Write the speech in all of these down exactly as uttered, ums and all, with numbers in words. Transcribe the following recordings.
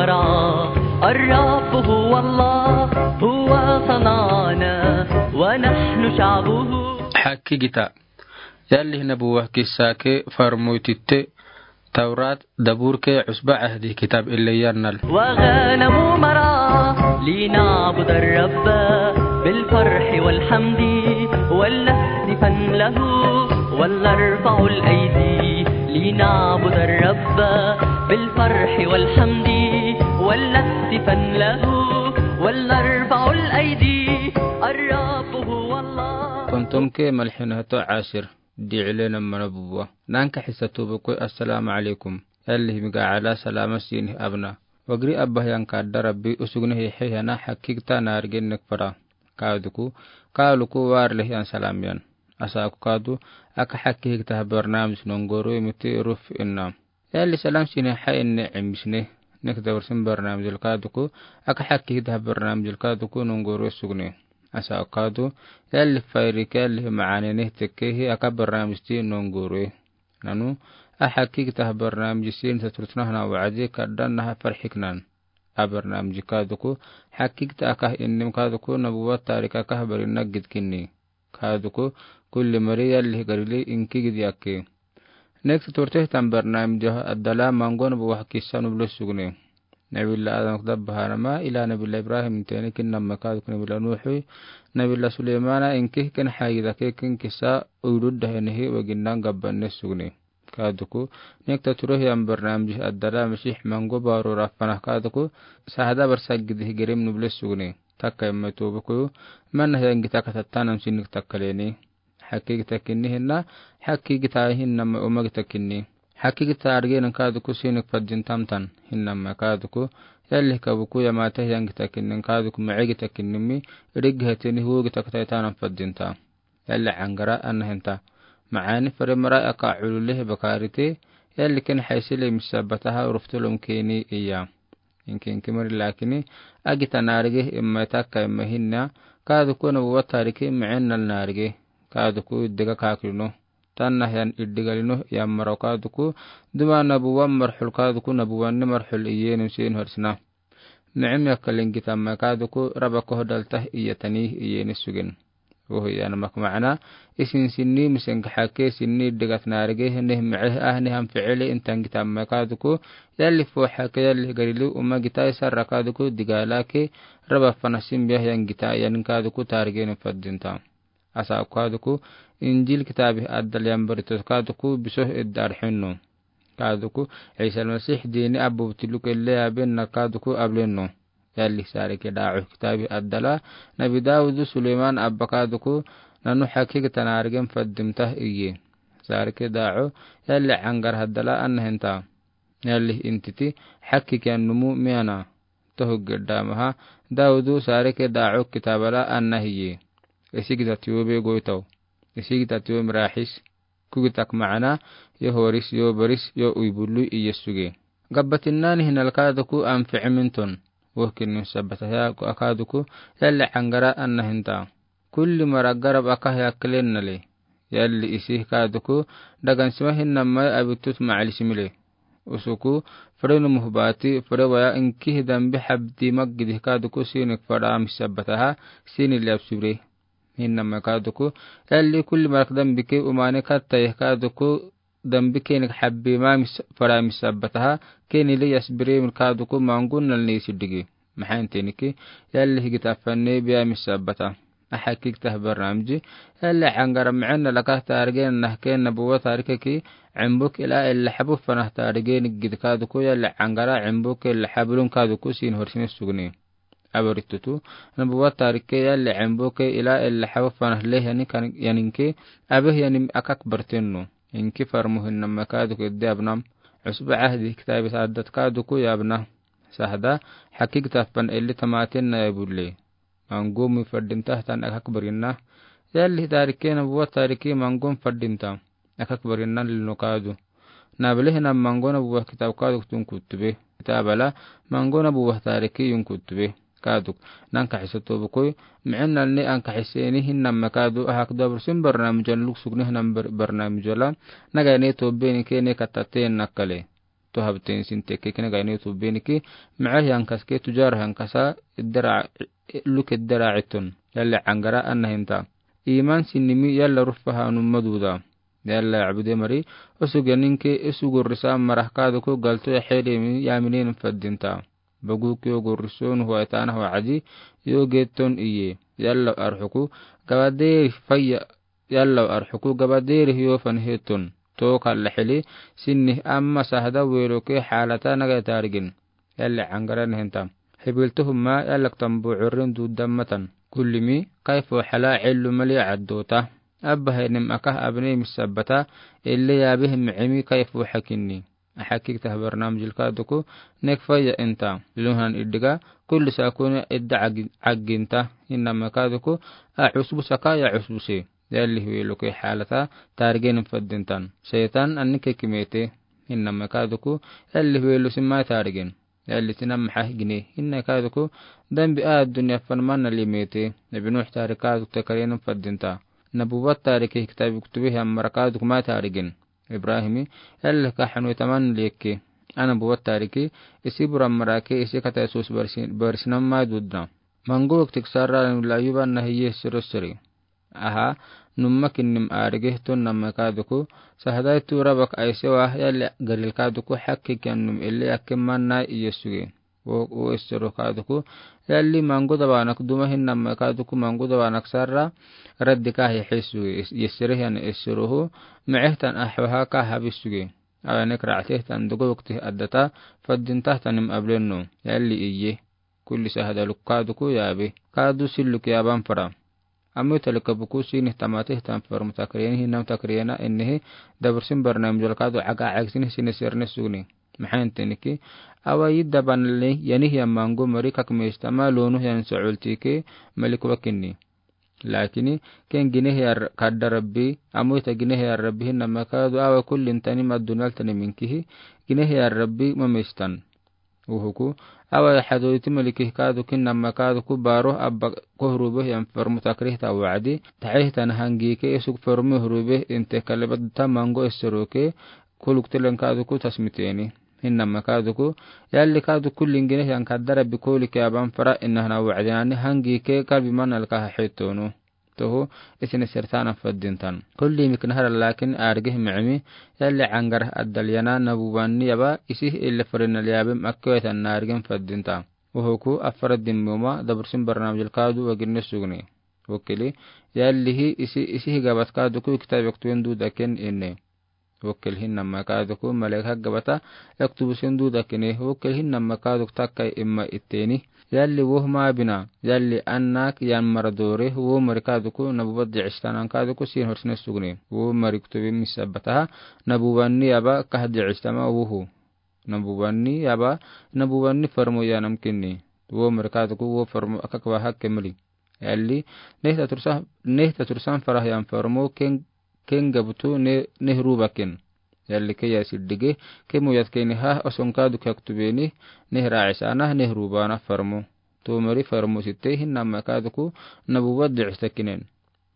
الرب هو الله، هو صنعنا ونحن شعبه. Hakkigita. Yalli nabuwa kissa ke farmoy titte, Tawrat, Zabur ke, Cusba Cahdi kitab ille yannal. وغنم مرعى لنعبد الرب بالفرح والحمد ولنهتفن له ولنرفع الأيدي لنعبد الرب بالفرح والحمد ولنهتفن له ولنرفع الأيدي الرب هو الله. Kontom ke malxinato asir. Diile namana buwa. Nanka xisa tubu koi, assalamu alaikum. Yalli miga ala salama sini abna. Wagiri abba hiyan kadda Rabbi usugne hihe hiyana hakkigita naarige nek fara. Kaduku, kaluku warle hiyan salam yan. Asaku kadu, aka hakkigita barnamij nongoro imiti ruf inna. Yalli salam sini ha inne imisne. Nek dawarsin barnamij kaduku, aka hakkigita barnamij kaduku nongoro sugne. Asaku kadu, yalli fayri ke yalli maane ne tekke hi aka barnamij ti nongoro. Nanu, a hakkigita barnamij sin saturtna hana waadi kaddan naha farxiknan. A barnamij kaduku, hakkigita aka innim kaduku nabuwa tarik aka barinna gidkinni. Kaduku, kulli mari yalli garili inki gidi akke. Nek saturte hitan barnamij addala mango nabuwa kissa nuble sugne. Nabilla Adam kdabba hanama ila Nabilla Ibrahim teni kin namma kaduku Nabilla Nuhu, Nabilla Suleymana inki ken hayi dake kin kissa uydudda henihi waginnan gabbanne sugne. Kaduku, nek tature hiyan barnamij addala Masih mango baru rafana kaduku, sahada barsagidi hi gerim nuble sugne. Takka imme tubu kuyu, mana hiyan gita katatanam sinik takkaleni. Hakkigita kinni hinna, hakkigita hinna ma uma gita kinni. Hakkigita argena kaduku sinik fadin tamtan, hinna ma kaduku, yalli kabuku yamata hiyan gita kinni kaduku maɛ gita kinni mi, rig heteni hu gita kataitanam fadinta. Yalli angara anna hinta. Maani fare mara aka ulule bakarite, yalli ken haisile misabataha ruftulum keni iya. Inki inki mari lakini, agita naarige imma takka imma hinna, kaduku nabuwa tarike ma'ennal naarige, kaduku iddega kakilino, tanna hiyan iddegalino yan mara kaduku, duma nabuwa marxul kaduku nabuwanni marxul iyenim sin horsina. Ma'im yakkalin gita ma kaduku, raba kohdaltah iyatani iyeni sugen. Wohi yana mak maana, isin sinni misenka hakke sinni degat naarige, neh ma'eh ah, neh am fi'ili intan gita ma kaduku, yalli fo hakke yalli garili uma gita isarra kaduku, digala ke, raba fana sin biya yan gita yan kaduku tarige ne fadinta. Asa kaduku, Injil kitabi addal yan baritot kaduku, bisoh idda arxinno. Kaduku, Isa al-Masih dini abu butuluk elle abenna kaduku ablenno. Yalli sarike da'u kitabi addala, Nabi Dawudu Suleyman abba kaduku, nanu hakkigita naarigen faddimtah iye. Sarike da'u, yalli angar haddala anna hinta. Yalli intiti, hakkigiyan numu miyana. Tohu gedda maha, Dawudu sarike da'u kitabala anna hiye. Isigita tiyobe goitaw. Isigita tiyobe mirahis. Kugitak maana, yo horis, yo baris, yo uibulu iye suge. Gabbatinani hinal kaduku anfi'i minton. Wohkinin sabbataha kaduku, yalli angara anna hinta. Kulli mara garab aka hiya kelennale. Yalli isi kaduku, dagan sima hinna mai abitut ma'ali simile. Usuku, fere numuh bati, fere waya inki hi dambi habdi maggidi kaduku sinik fada misabbataha, sini liab sibre. Hinna ma kaduku, yalli kulli marak dambi ke umane katta yeh kaduku, dambi kenik habbi ma mis-, fara misabbataha, keni le yasbire min kaduku mangun nal ni sidigi. Mahan teniki, yalli higita fanne biya misabbata. Ahakik tah barnamiji, yalli angara ma'en na lakah targen nah ken nabuwa tarike ki, embuk ila illa habu fanah targen gid kaduku, yalli angara embuk illa hablun kaduku sin horsini sugni. Abaritutu, nabuwa tarike yalli embuke ila illa habu fanah leh yani kan, yaninke, abeh yani akak bartenno. Inki farmuhin nama kaduku idde abnam. Usba ahdi kitabi sa'adat kaduku ya abna. Sahda, hakik tafan illi tamatin na ya bulle. Mangum mi fadimta hatan akak barinna. Yalli tarike nabuwa tarike mangum fadimta. Akak barinna lilno kadu. Nabele hina mango nabuwa kitab kaduk tun kutube. Kitabala mango nabuwa tariki yun kutube. Kaduk. Nanka hisa tobukoi. Mi'en nalne anka hiseni hinna ma kadu ahak dobrusin barnamijon luksugni hinam bar-, barnamijola. Nagane tobeni kene katate nakale. Tohabten sin tekke kina gaine tubeniki, mɛɛ hiankas ke tujar hiankasa, idara, luk idara iton. Yalla angara anna hinta. Iman sinimi yalla rufa hanu maduda. Yalla abde mari, usug yaninke, usug urrisa marah kaduku galto ya hede mi yaminen fadinta. Bagu ke ugurriso nu huwa itana huwa adi, yo geton iye. Yalla arhuku, gabaderi faya, yalla arhuku gabaderi hiyo fan heton. To kalla hili, sinni amma sahda welo ke halata naga tarigin. Yalla angara nehenta. Hibiltuhuma yalla ktambu urrin dudammatan. Kullimi, kayfu hala illu mali addota. Abba henim akah abne misabata, ille yabih mi'imi kayfu hakinni. Ahakik tah barnamij ilkaduku, nek faya inta. Luhan iddiga, kulli sakuni idda agi-, aginta. Innama kaduku, a usbu saka ya usbu se. Yalli huiluke halata, targen fadintan. Setan anni kekimete. Innama kaduku, yalli huilu sima targen. Yalli sinam hah gine. Inna kaduku, dambi a dunya fan manna limete. Nabi Nuh tarik kaduk takarena fadinta. Nabuwat tarike kitabi kutube hian mara kaduk ma tarigen. Ibrahimi, yalli kahanu taman leke. Ana buwat tarike, isi buram marake, isi kata Yesus barsi-, barsinam ma dudna. Mangu waktik sarra layuban nahi ye siro siri. Aha, numma kinnim arige tun namma kaduku, sahadai tu rabak aisewa yalli Galil kaduku hakke kian num ille akke manna iye suge. O, o essero kaduku, yalli mangu dabanak duma hinnamma kaduku mangu dabanak sarra, raddi kahi hesu, yes-, yessere hian esserohu, mehtan ahwaha kaha bisuge. Awanek ra'atehtan dugu waktih addata, faddintahtanim ablenno, yalli iye. Kulli sahadaluk kaduku yabe. Kadu silluk yaban fara. Amo talika buku sinih tamateh tan formu takriyeni hinam takriyena innihi dabursin barnamij ilkadu aga agsini sini serne sugni. Mahan teniki, awa yidda banle yanih yan mangu mari kak mestama lonu yan so'ultike malik wakinni. Lakini, ken gineh ya kadda Rabbi, amo ita gineh ya Rabbi hinam makadu awa kullin tani maddunal tani minkihi, gineh ya Rabbi mamestan. Uhuku, awa ya hadoiti maliki kaduku namma kaduku baro abba kohrube yan formu takrihta wa'di, tahihtan hangike esuk formu hrube inte kalebat ta mango esseroke, kuluk telen kaduku tasmiteni. Hinnamma kaduku, yalli kaduku lingine yan kadda Rabbi kolike aban fara innahana wa'di nani hangike kalbi manalka hahitonu. Toho, isine sertana faddintan. Kulli miknahara lakin argih mi'mi, yalli angar addal yana nabuwanni yaba, isih ille farinal yabim akkewetan nargin faddinta. Uhuku, afara dimmuma, dabursin barnamij ilkadu waginne sugni. Wakili, yallihi, isi, isih gabat kaduku kitab yaktuen dudaken inne. Wakil hinnamma kaduku, malek hak gabata, yaktubu sin dudakine, wakil hinnamma kaduk takkai imma itteni. Yalli wohma bina, yalli annak yan maradore, wo mari kaduku, nabuwat di'istanan kaduku, sin horsine sugni. Wo mari ktubi misabataha, nabuwanni aba kah di'istama wohu. Nabuwanni aba, nabuwanni farmo yanam kinni. Wo mari kaduku, wo farmo akak waha kemli. Yalli, nehta tursa, nehta tursan farah yan farmo ken, ken gabutu ne, nehru bakin. Yalli ke ya siddige, ke muyat keni ha, oson kaduk yaktubeni, nehra isana, nehru bana farmo. Tumari farmo sitte, hinnamma kaduku, nabuwat di'istakinen.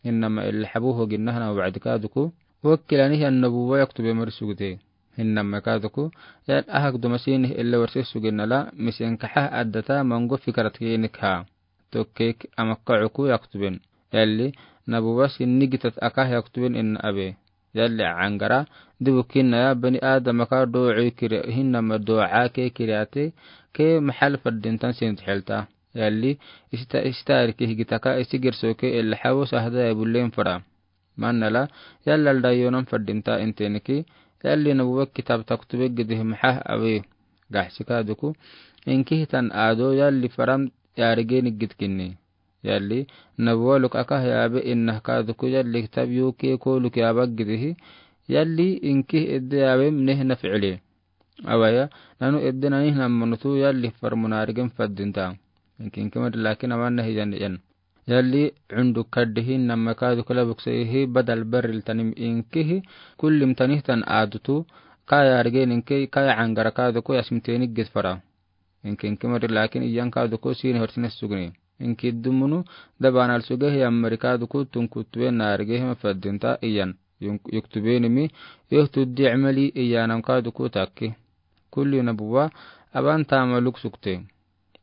Hinnamma illa habu hoginnahana wa'di kaduku. Wakilani yan nabuwa yaktube mari sugute. Hinnamma kaduku, yal ahak dumasini illa warse suginnala, misen kaha addata mango fikarat keni kaha. Tokkek amakka uku yaktuben. Yalli, nabuwa sinni gitat aka yaktuben inna abe. Yalli angara, dibu kinna ya bani Adam aka do'o kiri hinnama do'a ke kiriate, ke mahal faddintan sin thelta. Yalli, ista, ista arki higitaka isi girsoke illa hawo sahda ya bullen fara. Manala, yallalda yonan faddinta inteniki, yalli nabuwa kitab taktube gidih mahah awe. Gahsika duku, inkihitan ado yalli faram yarigeni gidkinni. Yalli, nabuwa luk akah yabe innah kaduku yalli kitab yuke koluk yaba gidihi, yalli inkih edde yabem neh naf'ile. Awaya, nanu edde nani nammanutu yalli farmo narigen faddinta. Inkinkimad lakin aman neh yan yan. Yalli, undu kaddihi namma kaduku labuk seyihi badal barril tanim inkihi, kullim tanihtan adutu, kaya argen inke, kaya angara kaduku yasmitenik gidfara. Inkinkimad lakin iyan kaduku sini horsine sugni. Inki dumunu, dabanal sugehi ammari kaduku tunkutube narige hima faddinta iyan. Yuk-, yuktubenimi, yohtu di'mali iyanam kaduku takki. Kulli nabuwa aban taama luk sukte.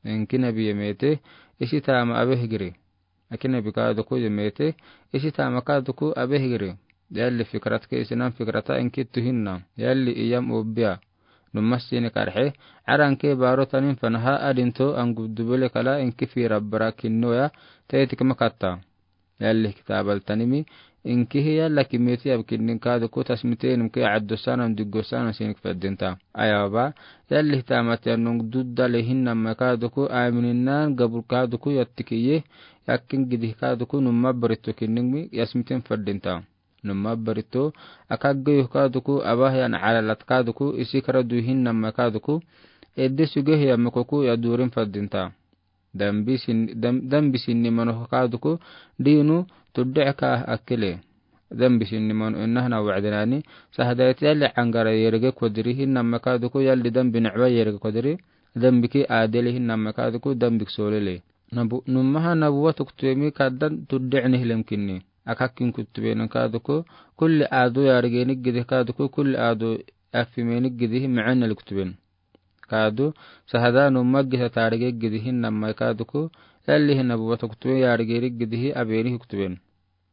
Inki nabi yemete, isi taama abe higiri. Aki nabi kaaduku yemete, isi taama kaaduku abe higiri. Yalli fikirat ke isinan fikirata inki tuhinna. Yalli iyam obia. Numma sini karhe, aran ke baro tanin fanaha adinto angu dubele kala inki fira bara kinnoya, tayeti kama katta. Yalli kitaabal tanimi, inkihi yalla kimeti ab kinnin kaaduku tasmitenum ke addosanan diggosanan sinik feddinta. Ayaba, yalli taamati annung duddale hinnamma kaaduku amininnan gabur kaaduku yattikiye, yakkin gidih kaaduku numma baritto kinninmi yasmiten feddinta. Numma baritto, akaggeyo kaaduku, abah yan alalat kaaduku, isi kara du hinnamma kaaduku, edde suge hiya mekoku ya durin feddinta. Dambi sin-, dam-, dambi sinni mano kaaduku, diinu tudde ka akkele. Dambi sinni mano inna hana wa'dinani, sahadayet yalli angara yerege kodiri hinnamma kaaduku, yalli dambi na'wa yerege kodiri, dambi ki adele hinnamma kaaduku, dambi ki solele. Nabu-, nummaha nabuwa tuktubemi kaddan tudde ini hilim kinni. Akakkin kuttubenin kaaduku, kulli adu yarigeni gidi kaaduku, kulli adu afimeni gidi ma'anna luktuben. Kaadu, sahada numma gisa tarige gidi hinnamma kaaduku, yalli hi nabuwa tuktube yarigeni gidi hi abeni huktuben.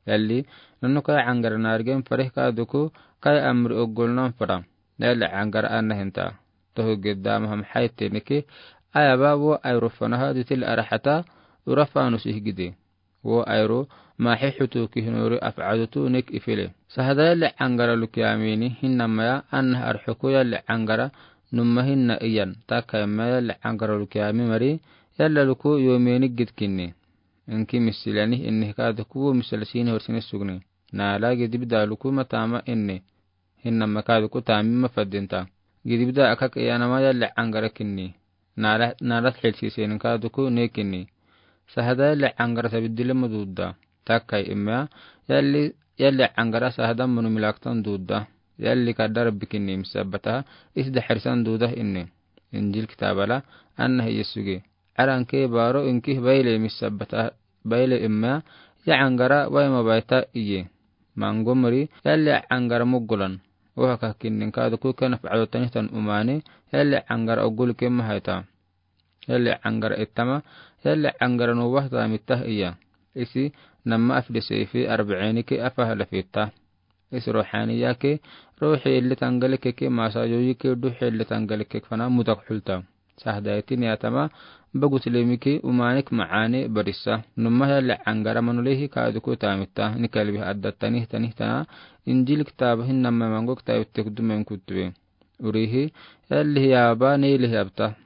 Yalli, nanu kay angara narigen farih kaaduku, kay amri oggolnan fara. Yalli angara anna hinta. Tohu gidda maham hayte niki, ayaba wo ayru fanaha ditil arahata, urafa nusi higidi. Wo ayru, mahi hutu kihinori af'adutu nik ifile. Sahada yalli angara lukiamini hinnamma ya, anna arhuku yalli angara, numma hinna iyan, taka yamma yalli angara lukiami mari, yalla luku yomeni gidkinni. Inki misilani inni kaaduku wo misila sini horsini sugni. Nala gidibida luku matama inni. Hinnamma kaaduku tamima feddinta. Gidibida akak iyanama yalli angara kinni. Nala, nala hilsisenin kaaduku ne kinni. Sahada yalli angara sabiddile ma dudda. Takkay imma yalli, yalli angara sahada munu milaktan dudda. Yalli kadara bikinni misabata isda harisan duda inni. Injil kitabala anna hi Yesuge. Aran ke baro inki baile misabata baile imma ya angara wai mabaita iye. Mango mari yalli angara mugulan. Oha kakinnin kaaduku kenaf ado tanihtan umani yalli angara ogul ke mahayta. Yalli angara ittama, yalli angara nuwahta mittah iya. Isi namma afde seifi arba'ini ke afaha lafitta. Isi ruhaniya ke, ruhi illi tangalike ke masa yoyi ke duhi illi tangalike fana mudak hulta. Sahdaiti niyatama, bagut lemi ke umanik ma'ani barisa. Numma yalli angara manulehi kaaduku tamitta, ni kalbi adda tanihtanihta, injil kitaba hinnamma mango kitabi tekdumen kutube. Urihi, yalli hiyaba, neyli hiyabta.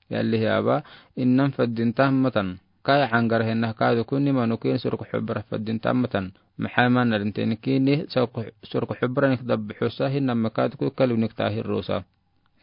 Yalli hiyaba, innan feddinta matan. Kay angara hinna kaaduku ni manukin surku hubra feddinta matan. Maxay manna dinteniki ni surku, surku hubranik dabbi husa hinnamma kaaduku kalbinik tahir rusa.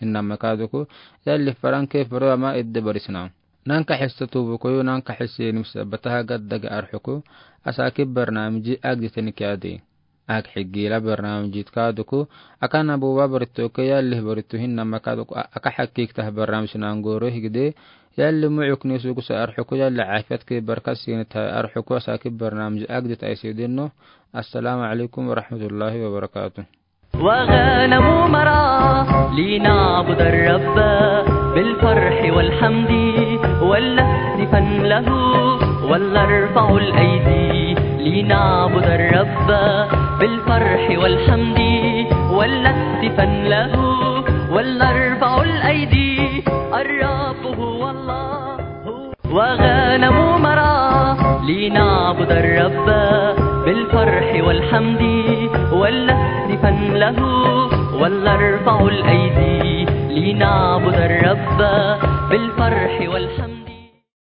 Hinnamma kaaduku, yalli faranke faro ama idde barisna. Nanka hissa tubu koyu nanka hissa yenim sabataha gaddaga arhuku, asaki barnamiji agditenik yadi. Ak higila barnamijit kaaduku, aka nabuwa barito ke yalli barito hinnamma kaaduku, a-, aka hakik tah barnamij nangoro higde, yalli mu'uk ni sugusa arhuku yalli afiyat ke barkas sinit tah arhuku asaki barnamij agdit aysi dinno. Assalamu alaikum warahmatullahi wabarakatuh. وغنم مرعى لنعبد الرب بالفرح والحمد ولنهتفا له ولنرفع الأيدي لنعبد الرب بالفرح والحمد ولنهتفا له ولنرفع الأيدي الرب هو الله. وغنم مرعى لنعبد الرب بالفرح والحمد ولنهتفا له ولنرفع الأيدي لنعبد الرب بالفرح والحمد.